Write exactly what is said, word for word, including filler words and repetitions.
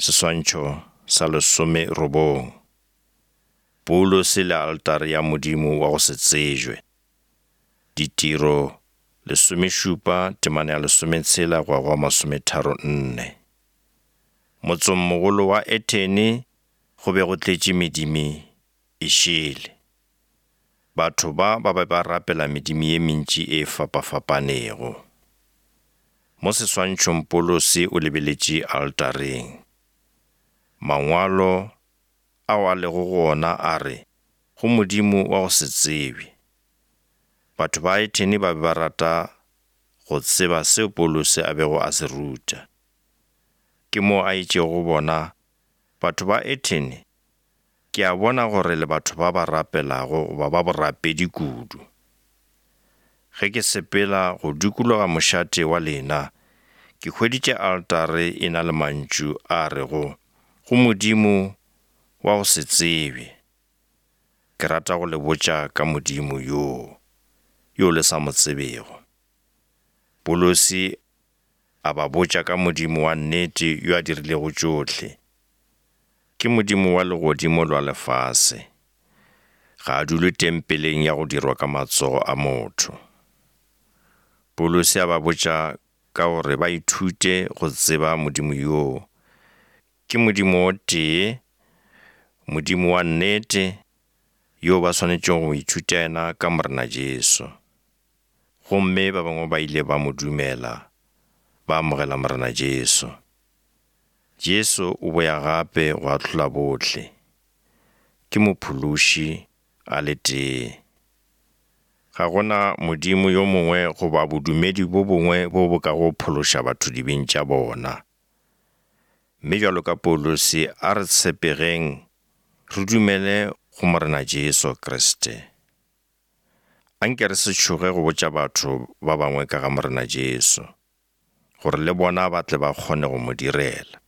Seswantšho sa lesomerobong. Paulose le altare ya Modimo wa go se tsebje. Ditiro lesomešupa temana ya lesometshela go ya go masometharo nne. Motsengmogolo wa Athene go be go tletše medimi e šele. Batho ba ba be ba rapela medimo ye mentši e fapafapanego. Mo seswantšhong Paulose o lebeletše altareng. Mangwalo ao a lego gona a re, go Modimo wa go se tsebje. Batho ba Athene ba be ba rata go tseba seo Paulose a bego a se ruta. Ke moo a itšego go bona, batho ba Athene, ke a bona gore le batho ba ba rapelago goba ba borapedi kudu. Ge ke sepela go dikologa mošate wa lena, ke hweditše altare e na le mantšu a rego, go Modimo wa go se tsebje. Ke rata go le botša ka Modimo yoo, yo le sa mo tsebego. Paulose a ba botša ka Modimo wa nnete yo a dirilego tšohle. Ke Modimo wa legodimo le wa lefase. Ga a dule tempeleng ya go dirwa ka matsogo a motho. Paulose a ba botša ka gore ba ithute go tseba Modimo yoo. Ke Modimo o tee, Modimo wa nnete, yo ba swanetšego go ithuta yena ka Morena Jesu. Gomme ba bangwe ba ile ba mo dumela, ba amogela Morena Jesu. Jesu o boya gape go ahlola bohle. Ke mophološi a le tee. Ga gona Modimo yo mongwe goba bodumedi bo bongwe bo bo kago phološa batho dibeng tša bona. Mme bjalo ka Paulose a re tshepegeng re dumele go Morena Jesu Kriste. Anke re se tšhoge go botša batho ba bangwe ka ga Morena Jesu, gore le bona ba tle ba kgone go mo direla.